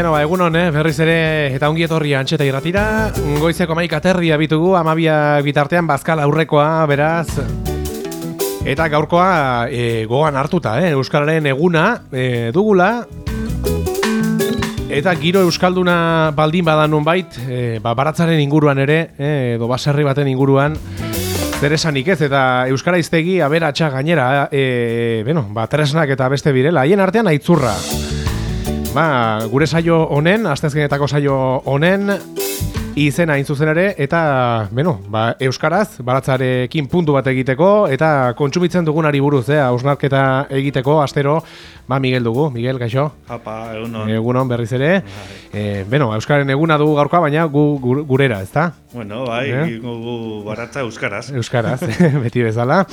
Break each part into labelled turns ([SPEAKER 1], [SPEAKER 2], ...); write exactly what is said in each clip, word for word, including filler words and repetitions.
[SPEAKER 1] Beno, ba, egunon, eh? Berriz ere eta ongi etorri Antxeta irratira. Goizeko maika terdia bitugu, amabia bitartean bazkal aurrekoa, beraz. Eta gaurkoa e, gogan hartuta, eh? Euskararen eguna e, dugula. Eta giro euskalduna baldin badan nonbait, e, ba, baratzaren inguruan ere, eh, edo baserri baten inguruan, zer esanik ez, eta euskara hiztegi aberatsa gainera, e, beno, ba, tresnak eta beste birela, haien artean aitzurra. Ba, gure saio honen, asteazkenetako saio honen, izena hain zuzen ere, eta, beno, ba, euskaraz, baratzarekin puntu bat egiteko, eta kontsumitzen dugunari buruz, eh, hausnarketa egiteko, astero, ba, Miguel dugu. Miguel, kaixo?
[SPEAKER 2] Apa, egunon.
[SPEAKER 1] Egunon berriz ere. E, beno, euskaren eguna dugu gaurkoa, baina gu, gu, gurera, ezta?
[SPEAKER 2] Bueno, bai, eh? gu baratza euskaraz.
[SPEAKER 1] Euskaraz, beti bezala.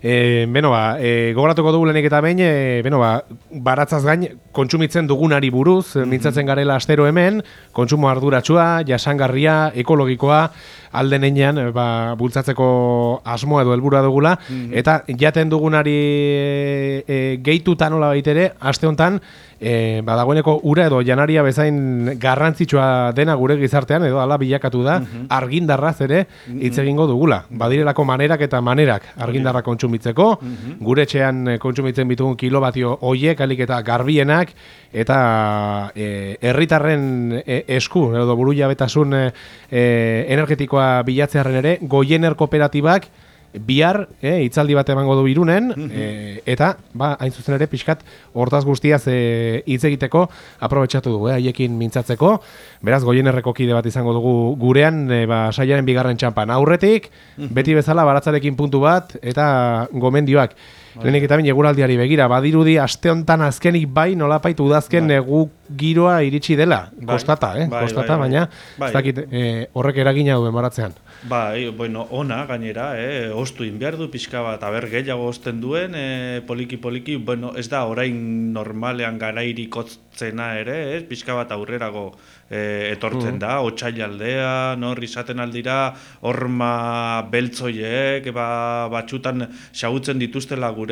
[SPEAKER 1] E, beno, ba, e, gogoratuko dugu lehenik eta behin, e, beno, ba, baratzaz gain, kontsumitzen dugunari buruz, mm-hmm. mintzatzen garela astero hemen, kontsumo arduratsua, jasangarria, ekologikoa, alden einean, ba, bultzatzeko asmoa edo helburua dugula, mm-hmm. eta jaten dugunari e, e, gehituta nola baitere, aste honetan, e, badagoeneko ura edo janaria bezain garrantzitsua dena gure gizartean, edo ala bilakatu da, mm-hmm. argindarraz ere hitz egingo dugula. Badirelako manerak eta manerak argindarra kontsumitzeko, mm-hmm. gure etxean kontsumitzen bitugun kilobatio hoiek, alik eta garbienak, eta e, herritarren e, esku, edo buru jabetasun e, energetikoa bilatzearen ere, Goiener kooperatibak bihar, eh, itzaldi bat emango du Irunen, mm-hmm. e, eta, ba, hain zuzen ere, pixkat, hortaz guztiaz e, hitz egiteko, aprobetxatu dugu, eh, haiekin mintzatzeko, beraz, Goienerreko kide bat izango dugu gurean, e, ba, saiaren bigarren txampan aurretik, mm-hmm. beti bezala, baratzarekin puntu bat, eta gomendioak. Lehenik eta bin eguraldiari begira, badirudi aste honetan azkenik bai, nolapait udazken bai. Negu giroa iritsi dela, bai. Kostata, eh? Bai, Kostata, bai, bai. Baina, bai. Ez dakit, e, horrek eragina duen baratzean.
[SPEAKER 2] Bai, bueno, ona gainera, eh, ostu inbiar du pixka bat, aber gehiago osten duen, eh, poliki-poliki, bueno, ez da orain normalean garairik otzena ere, eh, pixka bat aurrerago eh, etortzen mm. da, otsaialdea, nor izaten aldira, horma beltzoiek, ba, batxutan xagutzen dituztela gure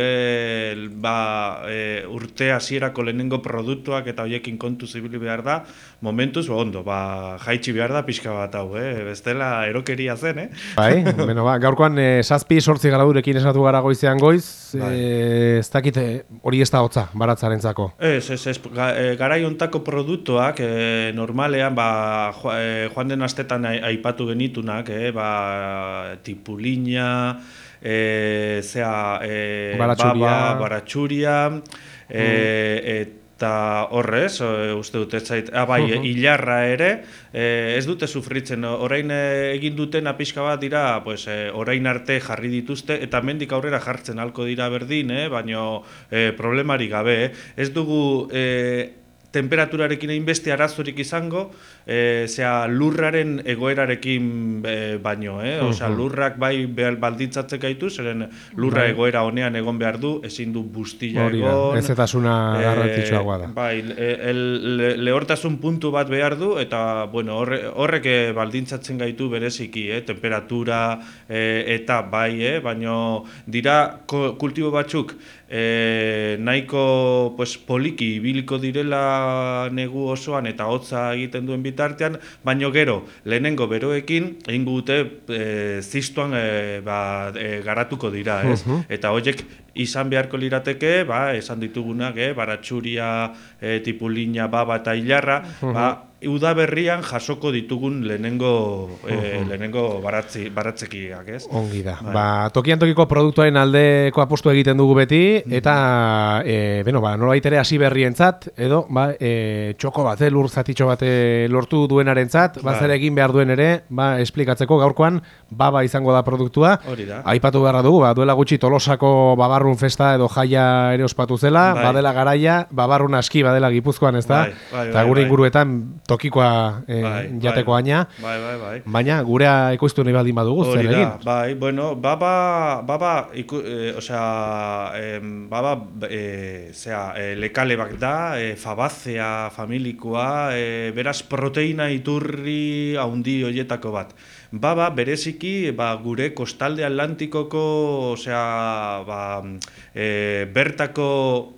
[SPEAKER 2] ba, e, urte hasierako lehenengo produktuak eta hoiekin kontu zibili behar da, momentuz, ba, ondo, ba, jaitsi behar da pixka bat hau, eh? Bestela erokeria zen, eh?
[SPEAKER 1] Bai, bueno, ba, gaurkoan eh, zazpi sortzi gradurekin esnatu gara goizean goiz, bai. eh, ez dakit hori ez da hotza, baratzarentzako.
[SPEAKER 2] Ez, ez, ez, ga, e, garai hontako produktuak, e, normalean, ba, jo, e, joan den astetan aipatu genitunak, eh, ba, tipulina, e, zea, e,
[SPEAKER 1] baratxuria,
[SPEAKER 2] baba, baratxuria, e, mm. eta horrez, uste dut ez zait, ah, bai, uh-huh. hilarra ere, eh, ez dute sufritzen, orain egin duten apixka bat dira, pues, eh, orain arte jarri dituzte, eta mendik aurrera jartzen halko dira berdin, eh, baino eh, problemari gabe, eh. Ez dugu eh, temperaturarekin hainbeste arazorik izango, e, zera lurraren egoerarekin e, baino, eh? Osea, lurrak bai baldintzatzen gaitu, zeren lurra bai. Egoera honean egon behar du, ezin du bustila egon.
[SPEAKER 1] Ez eta zuna garrantzitsuagoa da.
[SPEAKER 2] Bai, el, le, lehortasun puntu bat behar du, eta bueno, horre, horrek baldintzatzen gaitu bereziki, eh? Temperatura e, eta bai, eh? Baino dira kultibo batzuk, E, nahiko pues, poliki ibiliko direla negu osoan eta hotza egiten duen bitartean, baino gero, lehenengo beroekin, egin gute e, ziztuan e, ba, e, garatuko dira, ez? Uh-huh. Eta horiek izan beharko lirateke, ba, esan ditugunak, eh, baratxuria, e, tipulina, baba eta hilarra, uh-huh. ba, udaberrian jasoko ditugun lehenengo, uh-huh. e, lehenengo baratzi, baratzekiak, ez?
[SPEAKER 1] Ongi da. Bai. Ba, tokian tokiko produktuaren aldeko apostu egiten dugu beti, eta, uh-huh. e, beno, ba, nolabait ere hasi berrientzat, edo, ba, e, txoko bat, lur zatitxo bat lortu duenarentzat, ba, zer egin behar duen ere, ba, esplikatzeko gaurkoan, baba izango da produktua.
[SPEAKER 2] Hori da.
[SPEAKER 1] Aipatu beharra dugu, ba, duela gutxi Tolosako babarrun festa edo jaia ere ospatu zela, bai. Badela garaia, babarrun aski badela Gipuzkoan, ez da? Bai, bai, eta gure bai, inguruetan tokikoa e, bai, jateko
[SPEAKER 2] bai,
[SPEAKER 1] aina,
[SPEAKER 2] bai, bai, bai.
[SPEAKER 1] Baina gurea ekoiztu nahi baldin badugu, zer egin?
[SPEAKER 2] Bai, bueno, baba, baba, iku, e, osea, e, baba, e, zera, e, lekale bak da, e, fabazea familikoa, e, beraz proteina iturri haundi hoietako bat. Baba, bereziki, ba, gure kostalde atlantikoko, osea, ba, e, bertako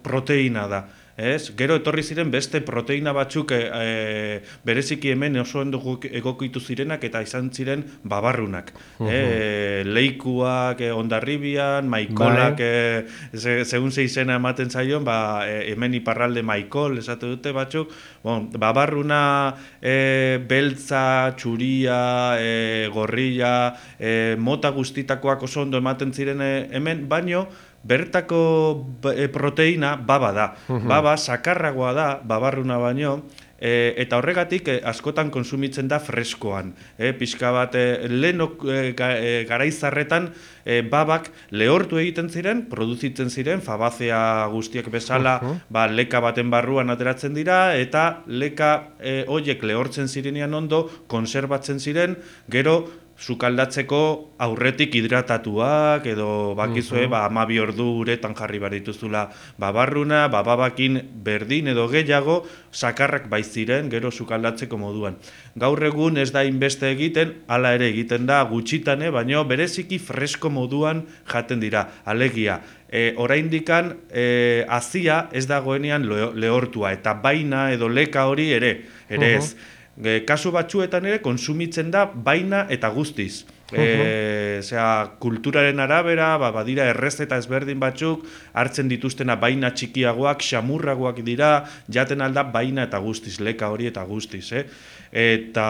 [SPEAKER 2] proteina da. ez? Gero etorri ziren beste proteina batzuk e, e, bereziki hemen oso ondo egokitu zirenak eta izan ziren babarrunak. Uh -huh. e, leikuak e, Hondarribian, maikolak, e, ze, segun ze izena ematen zaion, ba, e, hemen iparralde maikol, esate dute batzuk, bon, babarruna e, beltza, txuria, e, gorrilla, e, mota guztitakoak oso ondo ematen ziren e, hemen, baino, bertako proteina baba da. Uh-huh. Baba sakarragoa da, babarruna baino, e, eta horregatik e, askotan konsumitzen da freskoan. E, pixka bat, e, lehenok e, garaizarretan e, babak lehortu egiten ziren, produzitzen ziren, fabazea guztiak bezala, uh-huh. ba, leka baten barruan ateratzen dira, eta leka e, horiek lehortzen zirenean ondo, konserbatzen ziren, gero, sukaldatzeko aurretik hidratatuak edo bakizue, uh-huh. ba, amabi ordu uretan jarri barituzula babarruna, bababakin berdin edo gehiago, sakarrak baiziren, gero sukaldatzeko moduan. Gaur egun ez da inbeste egiten, hala ere egiten da gutxitane, baino bereziki fresko moduan jaten dira, alegia. E, oraindikan e, azia ez dagoenean lehortua, eta baina edo leka hori ere, ere ez. Uh-huh. E, kasu batzuetan ere konsumitzen da baina eta guztiz. E, zera, kulturaren arabera, ba, badira errezeta ezberdin batzuk, hartzen dituztena baina txikiagoak, xamurragoak dira, jaten alda baina eta guztiz, leka hori eta guztiz. Eh? Eta,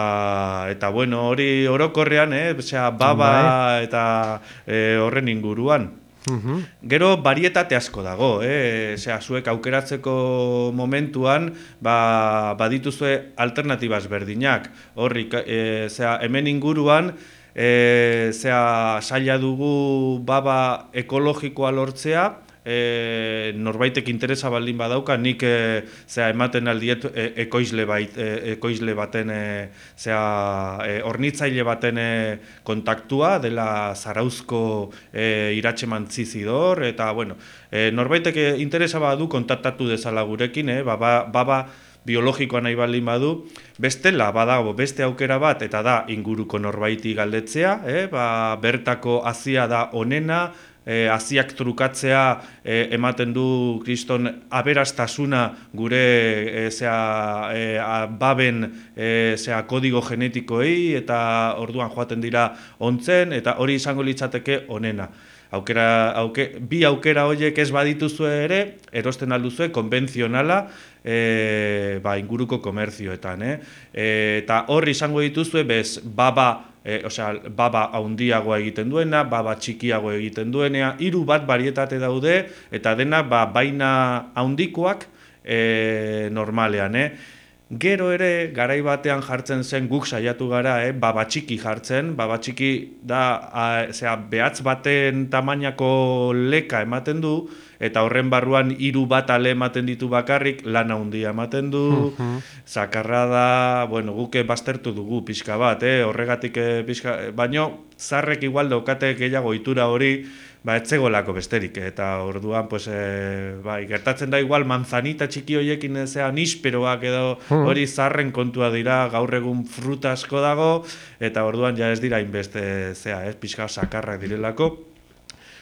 [SPEAKER 2] eta bueno, hori orokorrean, eh? Zera, baba eta e, horren inguruan. Uhum. Gero barietate asko dago, eh? Zea, zuek aukeratzeko momentuan ba, badituzue alternatibaz berdinak. Horri, e, zea, hemen inguruan e, zea, saila dugu baba ekologikoa lortzea, E, norbaitek interesa baldin badauka, nik e, zera, ematen aldiet e, ekoizle, bait, e, ekoizle baten, e, zera, e, hornitzaile baten e, kontaktua, dela Zarauzko e, iratxemantzi zidor, eta bueno, e, norbaitek interesa badu kontaktatu dezala gurekin, e, baba, baba biologikoa nahi baldin badu, bestela badago beste aukera bat, eta da inguruko norbaiti galdetzea, e, ba, bertako hazia da onena, E, aziak trukatzea e, ematen du kriston aberastasuna gure e, zea, e, a, baben e, zea, kodigo genetikoei eta orduan joaten dira ontzen eta hori izango litzateke onena. Aukera, auke, bi aukera horiek ez badituzue ere, erosten alduzue konbentzionala e, ba, inguruko komerzioetan. Eh? E, eta hori izango dituzue bez baba E, osea, baba haundiagoa egiten duena, baba txikiago egiten duenea, hiru bat barietate daude, eta dena ba, baina haundikoak e, normalean. Eh? Gero ere, garai batean jartzen zen guk saiatu gara, eh? baba txiki jartzen, baba txiki da, a, zera, behatz baten tamainako leka ematen du, eta horren barruan hiru bat ale ematen ditu bakarrik, lana handia ematen du, zakarra da, bueno, guke baztertu dugu pixka bat, eh? horregatik eh, pixka, baino, zarrek igual daukate gehiago itura hori, ba, etzegolako besterik, eta orduan, pues, e, bai, gertatzen da igual manzanita txiki horiekin zean isperoak edo hori zarren kontua dira, gaur egun fruta asko dago, eta orduan ja ez dira inbeste zea, ez, pixka sakarrak direlako.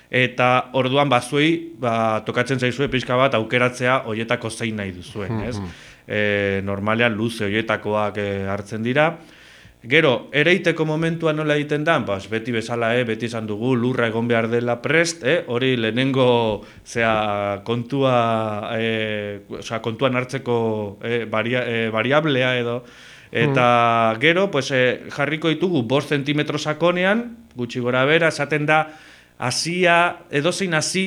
[SPEAKER 2] Eta orduan bazuei, ba, tokatzen zaizue pixka bat aukeratzea hoietako zein nahi duzuen, ez? E, normalean luze hoietakoak e, hartzen dira. Gero, ereiteko momentua nola egiten da, bas, beti bezala, eh, beti esan dugu, lurra egon behar dela prest, eh, hori lehenengo zera, kontua, eh, osea, kontuan hartzeko eh, varia, eh, variablea edo, eta mm. gero, pues, eh, jarriko ditugu bost zentimetro sakonean, gutxi gora bera, esaten da, hasia, edozein hasi,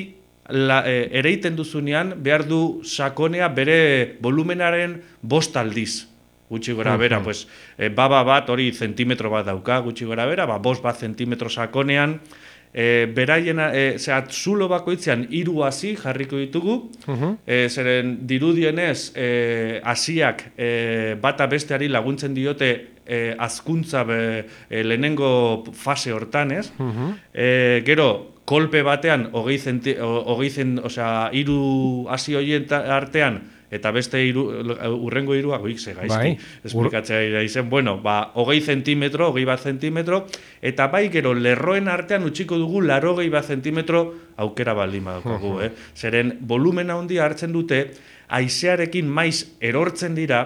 [SPEAKER 2] la, eh, ereiten duzunean, behar du sakonea bere volumenaren bost aldiz. Gutxi gora bera, uh-huh. pues, e, baba bat hori zentimetro bat dauka, gutxi gora bera, ba, bost bat zentimetro sakonean, e, beraien, e, zera, zulo bakoitzean hiru hasi jarriko ditugu, uh-huh. e, zeren dirudienez, e, hasiak e, bata besteari laguntzen diote e, azkuntza be, e, lehenengo fase hortan, ez? Uh-huh. e, gero, kolpe batean, hogei zenti, hogei zen, osea, hiru hasi horien artean, eta beste hiru, urrengo hirua goik ze gaizki,
[SPEAKER 1] Bai.
[SPEAKER 2] esplikatzea izen, bueno, ba, hogei zentimetro, hogei bat zentimetro, eta bai gero lerroen artean utziko dugu larogei bat zentimetro aukera baldin badaukagu, eh? Zeren volumena handia hartzen dute, haizearekin maiz erortzen dira,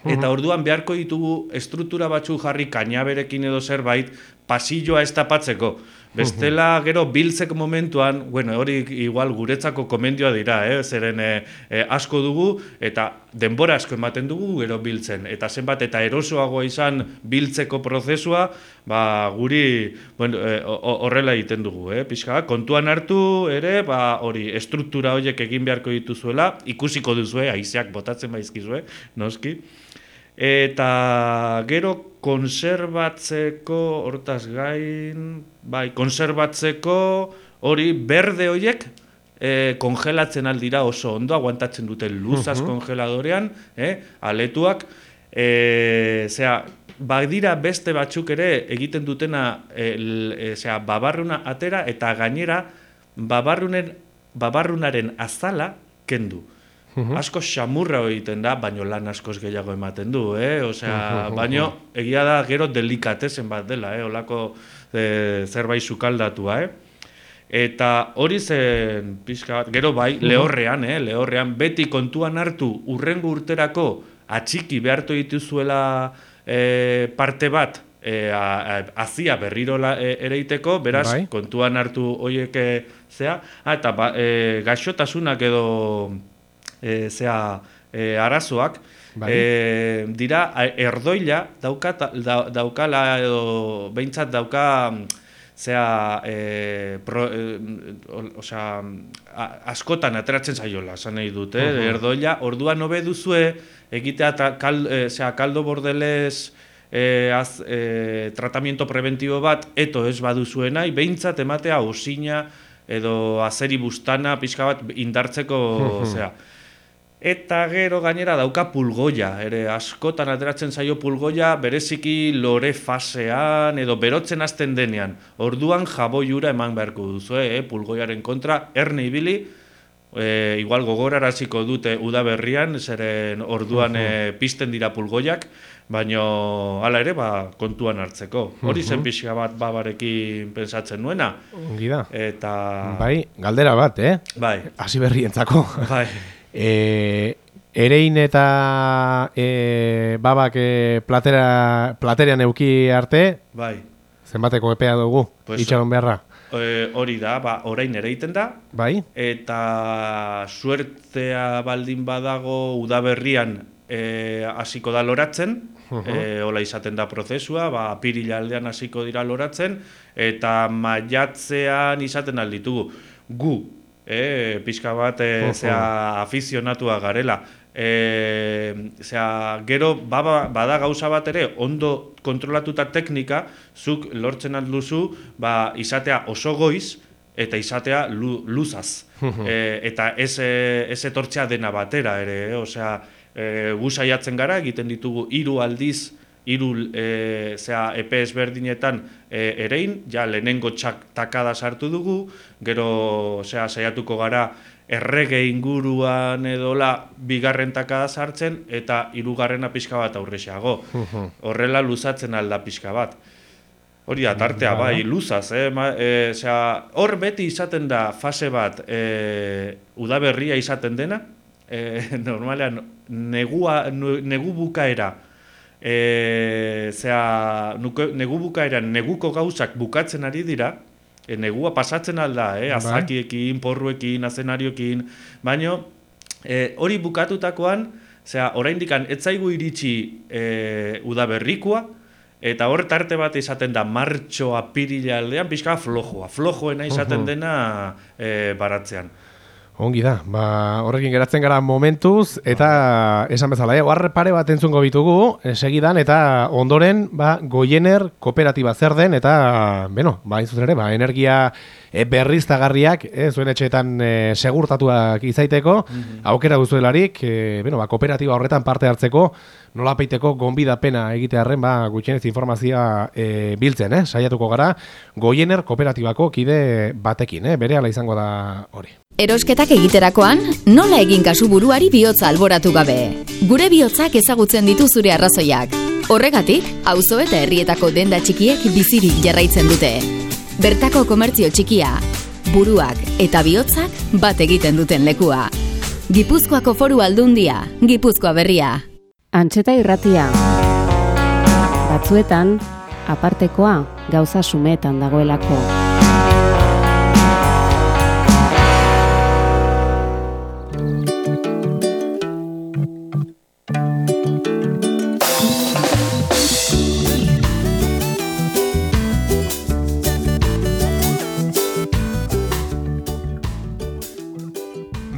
[SPEAKER 2] eta orduan beharko ditugu estruktura batzu jarri kainaberekin edo zerbait pasilloa ez tapatzeko. Bestela gero biltzek momentuan, bueno, hori igual guretzako komendioa dira, eh? Zeren eh, eh, asko dugu eta denbora asko ematen dugu gero biltzen. Eta zenbat eta erosoagoa izan biltzeko prozesua, ba, guri bueno, eh, horrela egiten dugu. Eh? Pixka, kontuan hartu ere, ba, hori estruktura horiek egin beharko dituzuela, ikusiko duzue, haizeak botatzen baizkizue, noski. Eta gero konserbatzeko, hortaz gain, bai, konserbatzeko hori berde horiek e, kongelatzen aldira oso ondo, aguantatzen dute luzaz uh-huh. kongeladorean, eh, aletuak, e, zera, badira beste batzuk ere egiten dutena e, e, zera, babarruna atera eta gainera babarrunen, babarrunaren azala kendu. Uh-huh. Asko xamurra egiten da, baino lan askoz gehiago ematen du, eh? Osea, uh-huh. baino egia da gero delikatezen bat dela, eh? Olako e, zerbait sukaldatua, eh? Eta hori zen pixka bat, gero bai, uh-huh. lehorrean, eh? Lehorrean beti kontuan hartu urrengo urterako atxiki behartu dituzuela e, parte bat e, azia berriro e, ereiteko, beraz, bai. Kontuan hartu horiek e, zea, ah, eta ba, e, gaixotasunak edo E, zea, e, arazoak, bai. e, dira erdoila dauka, da, daukala edo behintzat dauka zea, e, pro, e, osea, a, askotan ateratzen zaiola, esan nahi dut, eh? uh-huh. erdoila, orduan hobe duzue egitea ta, kal, e, zea, kaldo bordelez e, az, e, tratamiento preventibo bat, eto ez baduzuena, behintzat ematea osina edo azeri bustana pixka bat indartzeko, uh-huh. zea. Eta gero gainera dauka pulgoia, ere askotan ateratzen zaio pulgoia bereziki lore fasean edo berotzen hasten denean. Orduan jaboiura eman beharko duzu, eh? Pulgoiaren kontra, erne ibili, e, igual gogoraraziko dute udaberrian, zeren orduan e, pizten dira pulgoiak, baino hala ere ba, kontuan hartzeko. Hori zen pixka bat babarekin pensatzen nuena.
[SPEAKER 1] Ongi da.
[SPEAKER 2] Eta...
[SPEAKER 1] Bai, galdera bat, eh?
[SPEAKER 2] Bai.
[SPEAKER 1] Hasi berrientzako.
[SPEAKER 2] Bai.
[SPEAKER 1] E, erein eta e, babak e, platera, platerean euki arte,
[SPEAKER 2] bai.
[SPEAKER 1] Zenbateko epea dugu, pues, itxaron beharra?
[SPEAKER 2] E, hori da, ba, orain ereiten da,
[SPEAKER 1] bai.
[SPEAKER 2] Eta suertea baldin badago udaberrian e, hasiko da loratzen, uh-huh. e, hola izaten da prozesua, ba, apirila aldean hasiko dira loratzen, eta maiatzean izaten alditugu. Gu, E, pixka bat, e, zea, afizionatua garela. E, zea, gero, baba, bada gauza bat ere, ondo kontrolatuta teknika, zuk lortzen alduzu, ba, izatea oso goiz, eta izatea lu, luzaz. e, eta ez, ez etortzea dena batera ere, eh? Osea, e, gu saiatzen gara, egiten ditugu hiru aldiz, hiru e, zea, epe ezberdinetan e, erein, ja lehenengo txak takada sartu dugu, gero zea, saiatuko gara errege inguruan edola bigarren takada sartzen, eta hirugarrena pixka bat aurrexeago. Horrela luzatzen alda pixka bat. Hori da, tartea bai, luzaz, eh? Ma, e, zea, hor beti izaten da fase bat e, udaberria izaten dena, e, normalean negua, negu bukaera, E, zera, nuke, negu bukaeran neguko gauzak bukatzen ari dira, e, negua pasatzen alda, eh? Azakiekin, porruekin, azenariokin, baina e, hori bukatutakoan, zera, oraindikan ez zaigu iritsi e, udaberrikoa, eta hor tarte bat izaten da martxo apirila aldean, pixka flojoa, flojoena izaten dena e, baratzean.
[SPEAKER 1] Ongi da, ba, horrekin geratzen gara momentuz, eta esan bezala, eh, oar pare bat entzungo bitugu, eh, segidan, eta ondoren, ba, Goiener kooperatiba zer den, eta, beno, ba, izuz ere, ba, energia eh, berriztagarriak, eh, zuen etxeetan eh, segurtatuak izaiteko, mm-hmm. aukera duzuelarik, eh, beno, ba, kooperatiba horretan parte hartzeko, nola peiteko gonbidapena egitearren, ba, gutxienez informazioa eh, biltzen, eh, saiatuko gara, Goiener kooperatibako kide batekin, eh, berehala izango da hori.
[SPEAKER 3] Erosketak egiterakoan, nola egin kasu buruari bihotza alboratu gabe. Gure bihotzak ezagutzen ditu zure arrazoiak. Horregatik, auzo eta herrietako denda txikiek bizirik jarraitzen dute. Bertako komertzio txikia, buruak eta bihotzak bat egiten duten lekua. Gipuzkoako Foru Aldundia, Gipuzkoa Berria.
[SPEAKER 4] Antxeta irratia. Batzuetan, apartekoa gauza sumetan dagoelako.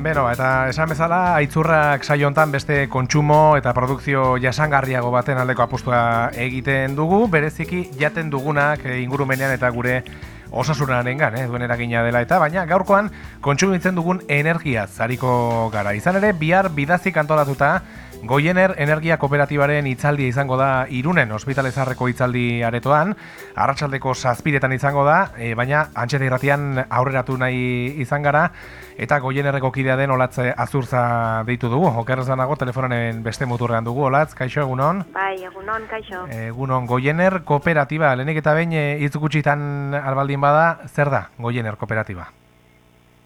[SPEAKER 1] Beno, eta esan bezala, Aitzurrak saio hontan beste kontsumo eta produkzio jasangarriago baten aldeko apustua egiten dugu, bereziki jaten dugunak ingurumenean eta gure osasunarengan, eh, duen eragina dela eta, baina gaurkoan kontsumitzen dugun energiaz ariko gara. Izan ere, bihar bidazik antolatuta, Goiener Energia Kooperatibaren hitzaldia izango da Irunen Ospitalezarreko hitzaldi aretoan, arratsaldeko zazpiretan izango da, e, baina Antxeta irratian aurreratu nahi izan gara, eta Goienerreko kidea den Olatz Azurza deitu dugu. Okerrez banago, telefonen beste muturrean dugu. Olatz, kaixo, egunon?
[SPEAKER 5] Bai, egunon, kaixo.
[SPEAKER 1] Egunon, Goiener Kooperatiba, lehenik eta behin hitz gutxitan albaldin bada, zer da Goiener Kooperatiba?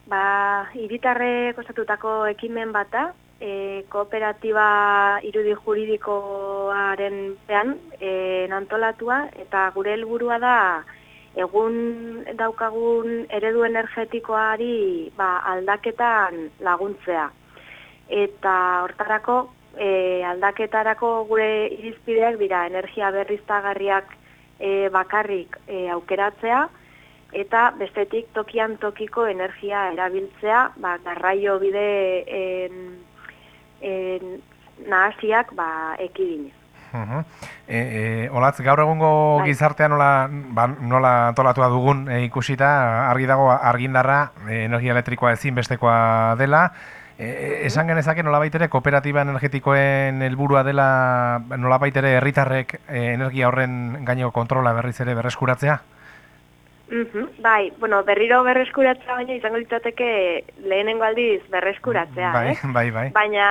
[SPEAKER 5] Ba, hiritarrek osatutako ekimen bat da, e, kooperatiba irudi juridikoaren pean e, antolatua, eta gure helburua da egun daukagun eredu energetikoari ba, aldaketan laguntzea. Eta hortarako, e, aldaketarako gure irizpideak dira energia berriztagarriak e, bakarrik e, aukeratzea, eta bestetik tokian tokiko energia erabiltzea, ba, garraio bide en, en, nahasiak ba, ekidinez.
[SPEAKER 1] Uh-huh. E, e, Olatz, gaur egungo bai. Gizartea nola, ba, nola antolatua dugun e, ikusita, argi dago argindarra, e, energia elektrikoa ezinbestekoa dela, e, esan genezake nolabait ere kooperatiba energetikoen helburua dela nolabait ere herritarrek e, energia horren gaineko kontrola berriz ere berreskuratzea?
[SPEAKER 5] Uhum, bai, bueno, berriro berreskuratzea baina izango litzateke lehenengo aldiz berreskuratzea,
[SPEAKER 1] bai,
[SPEAKER 5] eh?
[SPEAKER 1] Bai, bai.
[SPEAKER 5] Baina,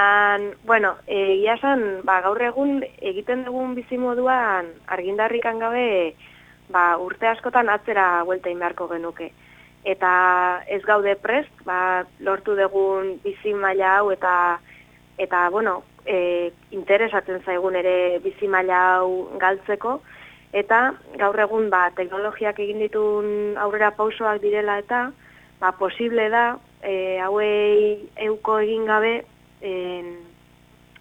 [SPEAKER 5] bueno, egia esan, ba, gaur egun egiten dugun bizimoduan argindarrikan gabe, ba, urte askotan atzera buelta beharko genuke. Eta ez gaude prest, ba, lortu dugun bizi maila hau eta eta, bueno, e, interesatzen zaigun ere bizi maila hau galtzeko. Eta gaur egun ba, teknologiak egin ditun aurrera pausoak direla eta ba, posible da e, hauei euko egin gabe en,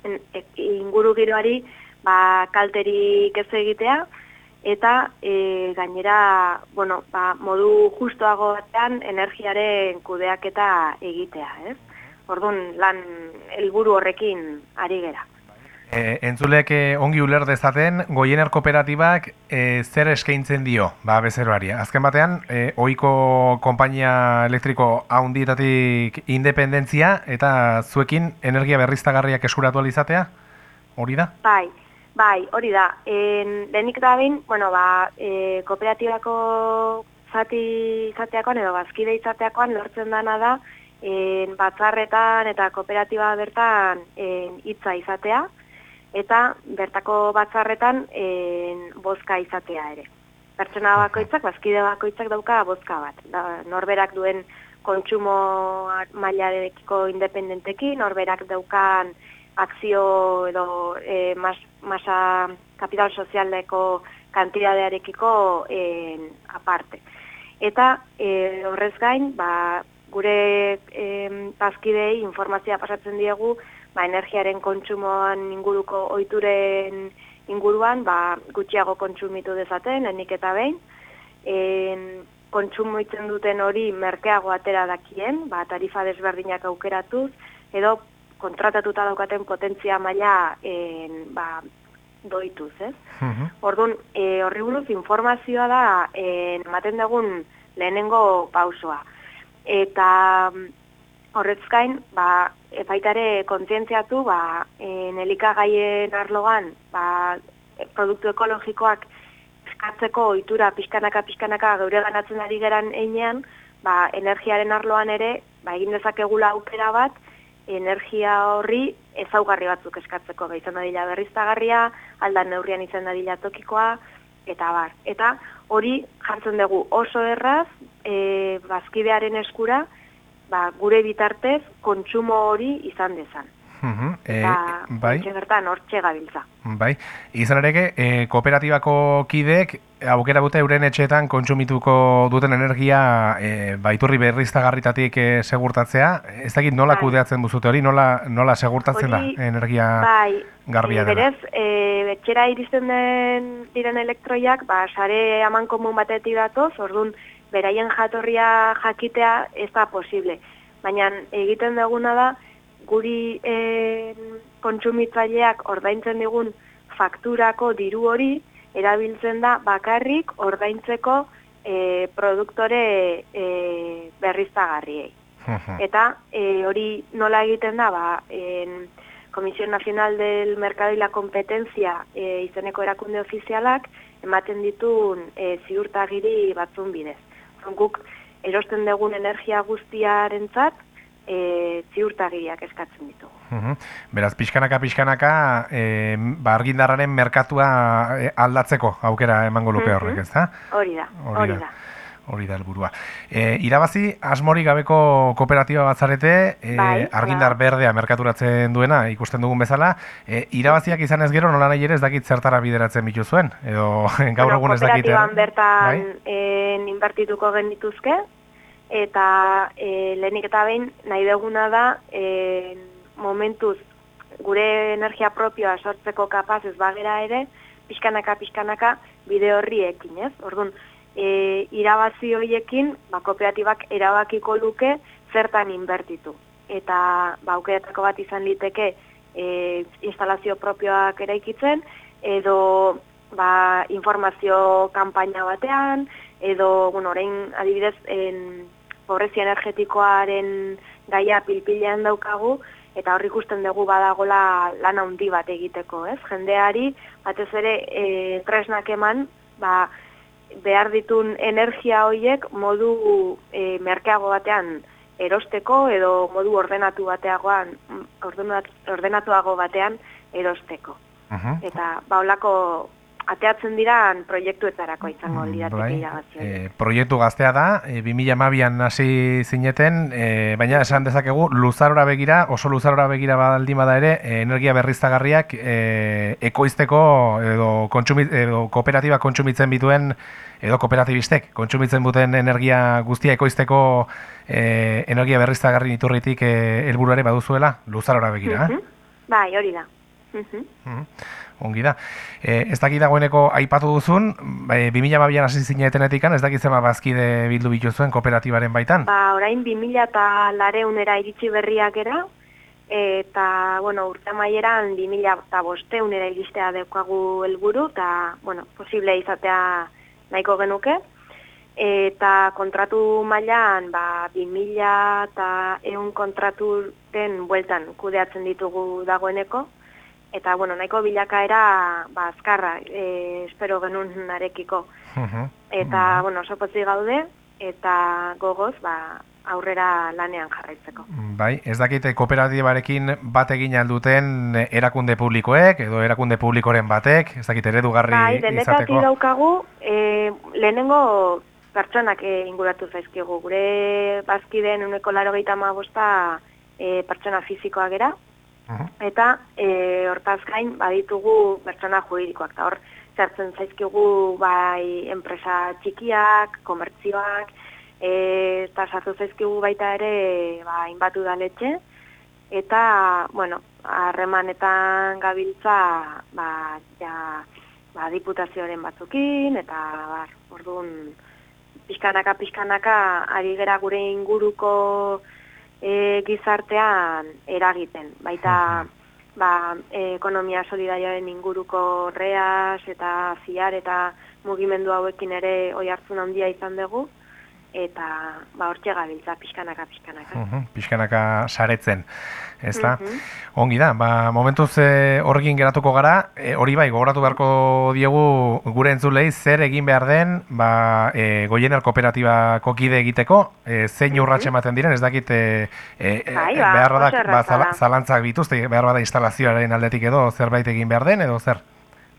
[SPEAKER 5] en, e, inguru giroari ba, kalterik ez egitea eta e, gainera bueno, ba, modu justoago batean energiaren kudeaketa egitea. Ez? Orduan lan helburu horrekin ari gera.
[SPEAKER 1] E, entzulek e, ongi uler dezaten, Goiener Kooperatibak e, zer eskaintzen dio, ba, bezeroari. Azken batean, e, ohiko konpainia elektriko haundietatik independentzia eta zuekin energia berriztagarriak eskuratu alizatea, hori da?
[SPEAKER 5] Bai, bai, hori da. En, lehenik da behin, bueno, ba, e, kooperatibako zati izateakoan edo bazkide izateakoan lortzen dana da, en, batzarretan eta kooperatiba bertan en, hitza izatea, eta bertako batzarretan en, bozka izatea ere. Pertsona bakoitzak, bazkide bakoitzak dauka bozka bat. Da, norberak duen kontsumo mailarekiko independentekin, norberak daukan akzio edo e, mas, masa kapital sozialeko kantidadearekiko en, aparte. Eta e, horrez gain, ba, gure e, bazkidei informazioa pasatzen diegu, ba, energiaren kontsumoan inguruko ohituren inguruan ba, gutxiago kontsumitu dezaten, enik eta behin. En, kontsumitzen duten hori merkeago atera dakien, ba, tarifa desberdinak aukeratuz, edo kontratatuta daukaten potentzia maila en, ba, doituz, ez? Uh-huh. Orduan, e, horri buruz informazioa da en, ematen dugun lehenengo pausoa. Eta horrez gain, ba, epaitare kontzientziatu, ba, en elikagaien arloan, ba, produktu ekologikoak eskatzeko ohitura pixkanaka-pixkanaka geure ganatzen ari geran einean, ba, energiaren arloan ere, ba, egin dezakegula aukera bat, energia horri ezaugarri batzuk eskatzeko, ba, izan dadila berriztagarria, aldan neurrian izan dadila tokikoa, eta bar. Eta hori jartzen dugu oso erraz, e, bazkidearen eskura, ba, gure bitartez kontsumo hori izan dezan.
[SPEAKER 1] Uh-huh.
[SPEAKER 5] Eta
[SPEAKER 1] e, bai.
[SPEAKER 5] bertan hortxe gabiltza.
[SPEAKER 1] Bai, izan ere, e, kooperatibako kideek aukera dute euren etxeetan kontsumituko duten energia e, baiturri berriztagarritatik e, segurtatzea. Ez dakit nola bai. Kudeatzen buzute hori, nola, nola segurtatzen hori, da energia
[SPEAKER 5] bai,
[SPEAKER 1] garbia dela?
[SPEAKER 5] Berez, e, etxera iristen den diren elektroiak, ba, sare aman komun batetik datoz, orduan beraien jatorria jakitea ez da posible. Baina egiten duguna da, guri e, kontsumitzaileak ordaintzen digun fakturako diru hori erabiltzen da bakarrik ordaintzeko e, produktore e, berriztagarriei. Eta e, hori nola egiten da, ba, en, Comisión Nacional del Mercado y la Competencia e, izeneko erakunde ofizialak ematen ditun e, ziurtagiri batzun bidez. Guk erosten dugun energia guztiarentzat E, ziurtagiriak eskatzen ditugu.
[SPEAKER 1] Uhum. Beraz, pixkanaka, pixkanaka, e, ba, argindarraren merkatua aldatzeko aukera emango luke horrek, ez da?
[SPEAKER 5] Hori da, hori da.
[SPEAKER 1] Hori da helburua. E, irabazi, asmorik gabeko kooperatiba bat zarete, e,
[SPEAKER 5] bai,
[SPEAKER 1] argindar berdea merkaturatzen duena, ikusten dugun bezala, e, irabaziak izan ez gero, nola nahi ere ez dakit zertara bideratzen bituzuen, edo gaur
[SPEAKER 5] bueno,
[SPEAKER 1] egun ez dakit.
[SPEAKER 5] Kooperatiban bertan bai? en, inbertituko genituzke, eta e, lehenik eta behin nahi duguna da e, momentuz gure energia propioa sortzeko kapaz ez bagera ere, pixkanaka, pixkanaka bide horri ekin, ez? Orduan, e, irabazi horiekin, ba, kooperatibak erabakiko luke zertan inbertitu. Eta ba, aukeretako bat izan liteke e, instalazio propioak eraikitzen, edo ba, informazio kanpaina batean, edo, bueno, orain adibidez, en, pobrezia energetikoaren gaia pilpilean daukagu, eta hor ikusten dugu badagola lan handi bat egiteko, ez? Jendeari, batez ere, e, tresnak eman, ba, behar ditun energia horiek modu e, merkeago batean erosteko, edo modu ordenatu bateagoan, ordenatuago batean erosteko. Uh-huh. Eta, ba, holako ateatzen diran proiektuetarako izango lirateke irabazi.
[SPEAKER 1] E, proiektu gaztea da, e, bi mila hamabian hasi zineten, e, baina esan dezakegu luzarora begira, oso luzarora begira baldin bada ere, e, energia berriztagarriak e, ekoizteko edo, kontsumi, edo kooperatiba kontsumitzen bituen, edo kooperatibistek kontsumitzen duten energia guztia ekoizteko e, energia berriztagarri iturritik e, helburuare baduzuela, luzarora begira.
[SPEAKER 5] Uh-huh. eh? Bai, hori da. Uh-huh.
[SPEAKER 1] Uh-huh. Ongi da. E, ez dakit dagoeneko aipatu duzun, e, bi mila hamabian hasi zinetenetikan, ez dakit zema bazkide bildu bituzuen kooperatibaren baitan?
[SPEAKER 5] Ba, orain bi mila eta lareunera iritsi berriak era, eta, bueno, urte amaieran bi mila eta bosteunera iristea deukagu helburu, eta, bueno, posible izatea nahiko genuke. Eta kontratu mailan, ba, bi mila eta ehun kontraturen bueltan kudeatzen ditugu dagoeneko, eta, bueno, nahiko bilakaera, ba, azkarra, e, espero genuen narekiko. Uh-huh. Eta, uh-huh. bueno, oso potzi gaude, eta gogoz, ba, aurrera lanean jarraitzeko.
[SPEAKER 1] Bai, ez dakite kooperatibarekin bat egin alduten erakunde publikoek, edo erakunde publikoren batek, ez dakite eredugarri
[SPEAKER 5] bai,
[SPEAKER 1] izateko? Bai,
[SPEAKER 5] denetatik daukagu, e, lehenengo pertsonak e, inguratu zaizkigu. Gure bazkideen uneko laro gehieta amabosta e, pertsona fizikoa gera, Uh-huh. eta e, hortaz gain baditugu pertsona juridikoak, eta hor zertzen zaizkigu bai enpresa txikiak, komertzioak, e, eta sartu zaizkigu baita ere ba, inbatu udaletxe, eta, bueno, harremanetan gabiltza ba, ja, ba, diputazioaren batzukin, eta bar, orduan pixkanaka, pixkanaka ari gera gure inguruko E, gizartean eragiten, baita ba, e, ekonomia solidarioaren inguruko reas eta ziar eta mugimendu hauekin ere oi hartzun handia izan dugu, eta ba hortxe gabiltza pixkanaka pixkanaka.
[SPEAKER 1] Uh -huh, pixkanaka saretzen, ezta?
[SPEAKER 5] Mhm.
[SPEAKER 1] Ongi da, ba, momentuz e, horrekin geratuko gara, e, hori bai, gogoratu beharko diegu gure entzulei zer egin behar den, ba, e, Goiener kooperatibako kide egiteko, e, zein urratxe ematen diren, ez dakit e, e,
[SPEAKER 5] Bai, ba,
[SPEAKER 1] behar
[SPEAKER 5] oso
[SPEAKER 1] da,
[SPEAKER 5] erraza
[SPEAKER 1] zala,
[SPEAKER 5] da.
[SPEAKER 1] zalantzak bituzte, behar bada instalazioaren aldetik edo zerbait egin behar den, edo zer?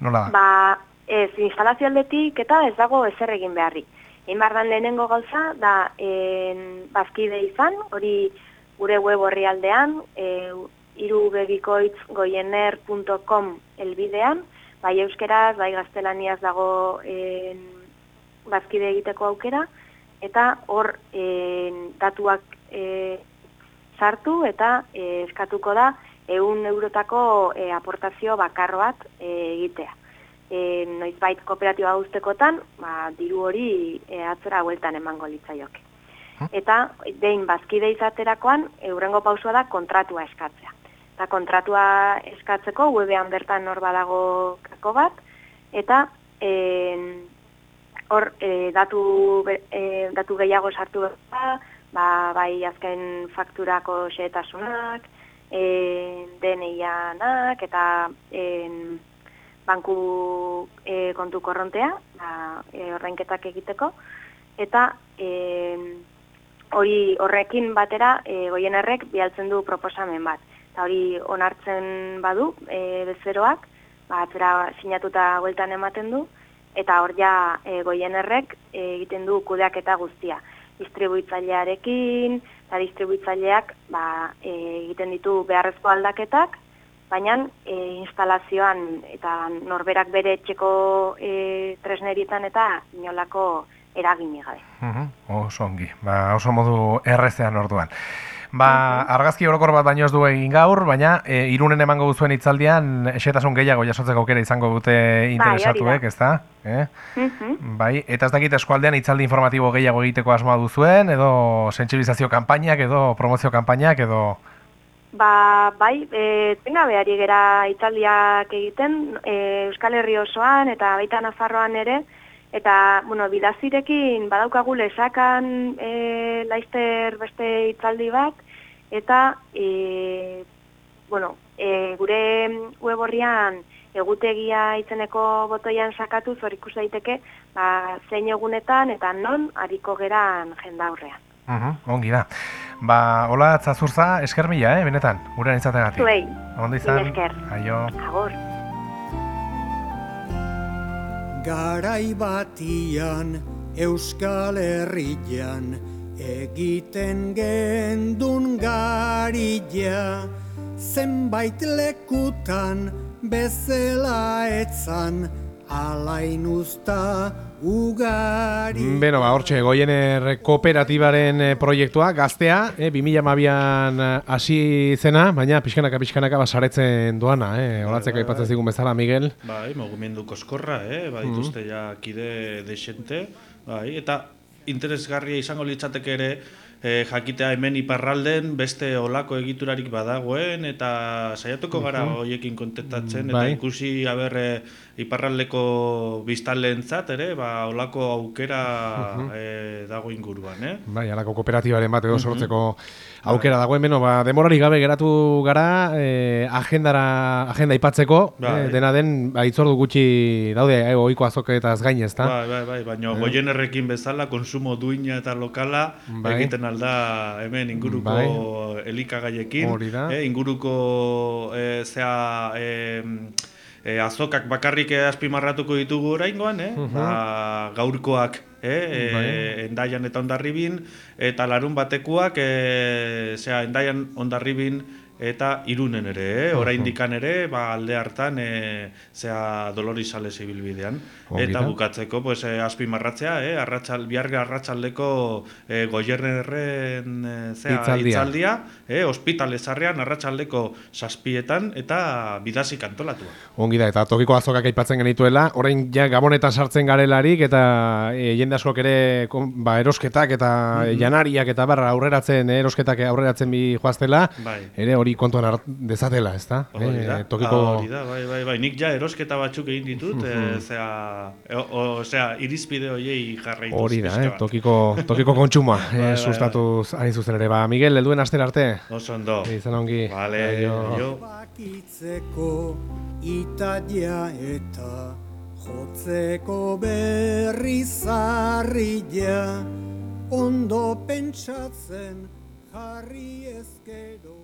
[SPEAKER 1] Nola da?
[SPEAKER 5] Ba, ez, instalazio aldetik eta ez dago ezer egin beharri. Egin behar den lehenengo gauza, da en, bazkide izan, hori gure web horri aldean, e, irubebikoitz goiener punto com elbidean, bai euskeraz, bai gaztelaniaz dago en, bazkide egiteko aukera, eta hor en, datuak e, sartu eta e, eskatuko da ehun eurotako e, aportazio bakar bat e, egitea. E, noizbait kooperatiba guztekotan, ba, diru hori e, atzera bueltan emango litzaioke. Eta behin bazkide izaterakoan, eurengo pausua da kontratua eskatzea. Eta kontratua eskatzeko webean bertan hor badago kako bat, eta e, hor e, datu, e, datu gehiago sartu behar, ba, bai azken fakturako xehetasunak, e, D N I-anak, eta e, banku e, kontu korrontea, ba, e, ordainketak egiteko, eta e, hori horrekin batera e, Goienerrek bialtzen du proposamen bat. Eta hori onartzen badu e, bezeroak, ba, atzera sinatuta bueltan ematen du, eta hor ja e, Goienerrek e, egiten du kudeaketa guztia. Distribuitzailearekin, eta distribuitzaileak ba, e, egiten ditu beharrezko aldaketak, baina e, instalazioan eta norberak bere etxeko e, tresnerietan eta inolako eragin gabe.
[SPEAKER 1] Uh-huh. Oso ongi, ba, oso modu errezean orduan. Ba, argazki orokor bat baino ez du egin gaur, baina e, Irunen emango duzuen hitzaldian esetasun gehiago jasotzeko aukera izango dute interesatuek,
[SPEAKER 5] bai,
[SPEAKER 1] ezta? Eh?
[SPEAKER 5] Uh-huh.
[SPEAKER 1] Bai, eta ez dakit eskualdean hitzaldi informatibo gehiago egiteko asmoa duzuen, edo sentsibilizazio kanpainak, edo promozio kanpainak, edo...
[SPEAKER 5] Ba, bai, e, tenga behari gera hitzaldiak egiten, e, Euskal Herri osoan eta baita Nafarroan ere, eta, bueno, bidazirekin badaukagu lesakan e, laizter beste hitzaldi bat, eta, e, bueno, e, gure web horrian egutegia itzeneko botoian sakatuz hor ikus daiteke, ba, zein egunetan eta non hariko geran jendaurrean.
[SPEAKER 1] Uh-huh, ongi da. Ba, hola Zazurza, esker mila, eh, benetan, gurean izategatik.
[SPEAKER 5] Zuei,
[SPEAKER 1] Ondo izan,
[SPEAKER 5] esker.
[SPEAKER 1] aio.
[SPEAKER 5] Agur.
[SPEAKER 6] Garai batian Euskal Herrian egiten gendun garilla, zenbait lekutan bezala etzan alain usta ugari.
[SPEAKER 1] Beno, ba, hortxe, Goiener kooperatibaren proiektua, gaztea, eh, bi mila hamabian hasi zena, baina pixkanaka pixkanaka basaretzen doana, eh, olatzeko aipatzen zigun bezala, Miguel.
[SPEAKER 2] Bai, mugimendu koskorra, eh, bai, dituzte ja kide desente, bai, eta interesgarria izango litzateke ere, E, jakitea hemen iparralden beste olako egiturarik badagoen eta saiatuko gara hoiekin kontaktatzen eta
[SPEAKER 1] bai.
[SPEAKER 2] ikusi aber iparraldeko biztanleentzat ere ba olako aukera uh-huh. e, dago inguruan, eh?
[SPEAKER 1] Bai, alako kooperatibaren bat edo sortzeko aukera dagoen, beno, ba, demorari gabe geratu gara e, agendara agenda ipatzeko,
[SPEAKER 2] bai.
[SPEAKER 1] e, dena den ba, itzordu gutxi daude e, ohiko azoketaz gain, ezta?
[SPEAKER 2] Bai, bai, bai, baina eh. Goienerrekin bezala konsumo duina eta lokala bai. egiten alda hemen inguruko bai. elikagaiekin, eh, inguruko eh, zea eh, eh, azokak bakarrik azpimarratuko ditugu oraingoan, eh? uh-huh. ba, gaurkoak eh, bai. eh, Endaian eta Hondarribin, eta larun batekuak eh, zea Endaian, Hondarribin eta Irunen ere, eh? oraindikan ere, ba, alde hartan e, zea Dolores Sales ibilbidean. Eta bukatzeko, pues, e, azpimarratzea, eh? Arratxal, biharga arratsaldeko e, Goiernerren e, zea
[SPEAKER 1] itzaldia,
[SPEAKER 2] itzaldia eh? Ospitale zarrean arratsaldeko zazpietan eta bidazik antolatua.
[SPEAKER 1] Ongi da, eta tokiko azokak aipatzen genituela, orain ja gabonetan sartzen garelarik, eta e, jende askok ere ba, erosketak eta mm-hmm. janariak eta barra aurreratzen, erosketak aurreratzen bi joaztela,
[SPEAKER 2] bai.
[SPEAKER 1] ere hori kontuan hart dezatela, ezta?
[SPEAKER 2] Hori da,
[SPEAKER 1] Eh, tokiko...
[SPEAKER 2] ah, hori da, bai, bai, bai. Nik ja erosketa batzuk egin ditut, eh, zera, o, o, zera, irizpide horiei jarraituz.
[SPEAKER 1] Hori da,
[SPEAKER 2] pixka
[SPEAKER 1] eh,
[SPEAKER 2] bat.
[SPEAKER 1] tokiko, tokiko kontsumoa,
[SPEAKER 2] Bai, bai,
[SPEAKER 1] eh,
[SPEAKER 2] bai.
[SPEAKER 1] sustatuz hain zuzen ere. Ba, Miguel, helduen astera arte.
[SPEAKER 2] Oso ondo.
[SPEAKER 1] Izan ongi.
[SPEAKER 2] Vale,
[SPEAKER 1] Aio.
[SPEAKER 2] aio.
[SPEAKER 6] Bakitzeko italia eta jotzeko berri zarria, ondo pentsatzen jarri ezkero.